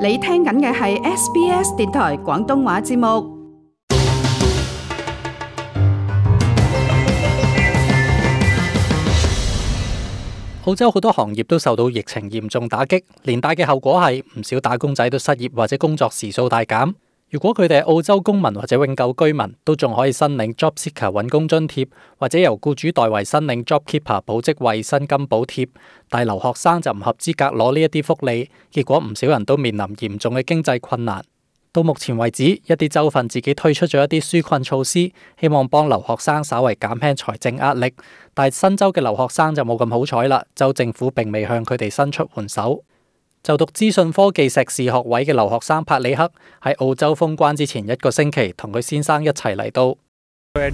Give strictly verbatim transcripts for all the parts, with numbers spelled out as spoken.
你聽緊嘅係 S B S 電台廣東話節目。澳洲好多行業都受到疫情嚴重打擊，連帶嘅後果係唔少打工仔都失業或者工作時數大減。如果佢哋係澳洲公民或者永久居民，都仲可以申領 Job Seeker 揾工津貼，或者由僱主代為申領 Job Keeper 保職位薪金補貼。但係留學生就唔合資格攞呢一啲福利，結果唔少人都面臨嚴重嘅經濟困難。到目前為止，一啲州份自己推出咗一啲紓困措施，希望幫留學生稍為減輕財政壓力。但係新州嘅留學生就冇咁好彩啦，州政府並未向佢哋伸出援手。就讀資訊科技碩士學位嘅留學生帕里克喺澳洲封關之前一個星期，同佢先生一齊嚟到。帕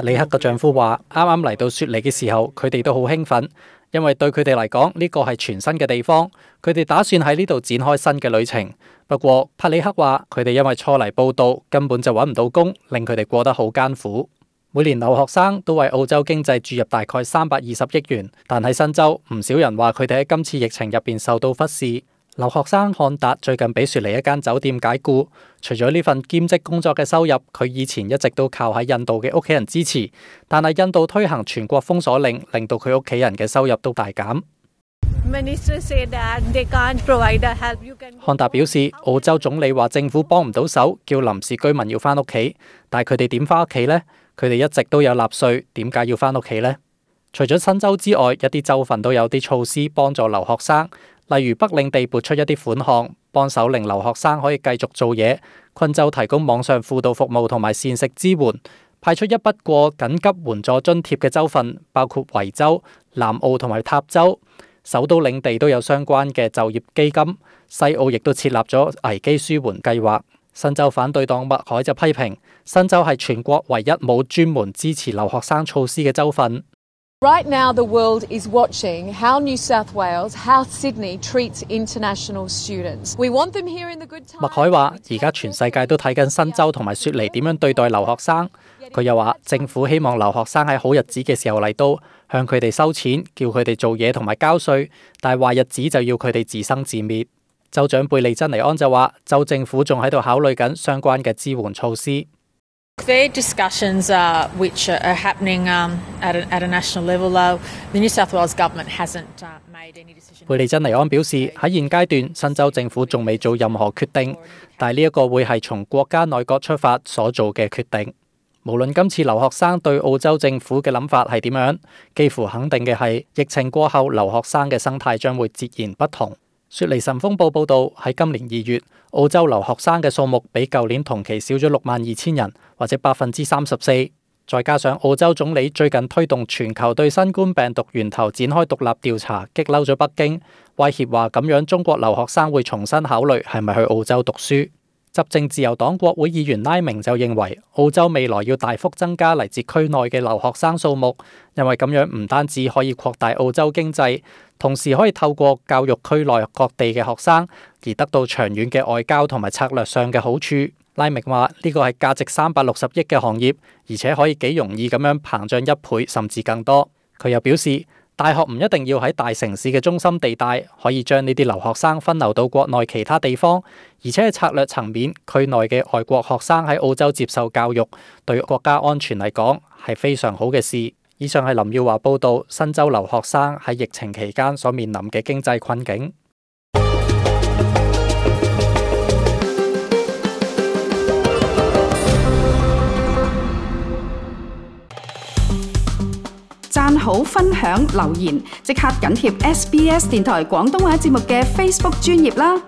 里克嘅丈夫話：啱啱嚟到雪梨嘅時候，佢哋都好興奮，因為對佢哋嚟講呢個係全新嘅地方，佢哋打算喺呢度展開新嘅旅程。不過帕里克話，佢哋因為初嚟報到，根本就揾唔到工，令佢哋過得好艱苦。每年留學生都為澳洲經濟注入大概三百二十億元，但喺新州唔少人話佢哋喺今次疫情入邊受到忽視。留學生漢達最近俾雪梨一間酒店解僱，除咗呢份兼職工作嘅收入，佢以前一直都靠喺印度嘅屋企人支持，但係印度推行全國封鎖令，令到佢屋企人嘅收入都大減。漢達表示，澳洲總理話政府幫唔到手，叫臨時居民要返屋企，但係佢哋點返屋企呢？佢哋一直都有納稅，點解要返屋企呢？除咗新州之外，一啲州份都有啲措施幫助留學生，例如北領地撥出一啲款項，幫手令留學生可以繼續做嘢。昆州提供網上輔導服務同埋膳食支援，派出一筆過緊急援助津貼嘅州份包括維州、南澳同埋塔州。首都領地都有相關嘅就業基金，西澳亦都設立咗危機舒緩計劃。新州反對黨麥凱就批評，新州係全國唯一冇專門支持留學生措施嘅州份。Right now, the world is watching how New South Wales, how Sydney treats international students. We want them here in the good times. 麥凱話：而家全世界都睇緊新州同埋雪梨點樣對待留學生。佢又話：政府希望留學生喺好日子嘅時候嚟到，向佢哋收錢，叫佢哋做嘢同埋交稅，但係壞日子就要佢哋自生自滅。州長貝利珍尼安就話：州政府仲喺度考慮緊相關嘅支援措施。There are discussions uh, which are happening um, at, a, at a national level. Uh, the New South Wales government hasn't uh, made any decision. 貝利珍尼安表示，喺現階段，新州政府仲未做任何決定，但係呢一個會係從國家內閣出發所做嘅決定。無論今次留學生對澳洲政府嘅諗法係點樣，幾乎肯定嘅係，疫情過後留學生嘅生態將會截然不同。雪梨晨鋒報報道，喺今年二月，澳洲留學生嘅數目比舊年同期少咗六萬二千人，或者百分之三十四。再加上澳洲總理最近推動全球對新冠病毒源頭展開獨立調查，激嬲咗北京，威脅話咁樣中國留學生會重新考慮係咪去澳洲讀書。執政自由黨國會議員拉明就認為，澳洲未來要大幅增加嚟自區內嘅留學生數目，因為咁樣唔單止可以擴大澳洲經濟，同時可以透過教育區內各地嘅學生而得到長遠嘅外交同埋策略上嘅好處。拉明話呢個係價值三百六十億嘅行業，而且可以幾容易咁樣膨脹一倍甚至更多。佢又表示，大學唔一定要喺大城市嘅中心地帶，可以將呢啲留學生分流到國內其他地方，而且喺策略層面，區內嘅外國學生喺澳洲接受教育，對國家安全嚟講係非常好嘅事。以上係林耀華報道新州留學生喺疫情期間所面臨嘅經濟困境。讚好、分享、留言，即刻緊貼 S B S 電台廣東話節目嘅 Facebook 專頁啦！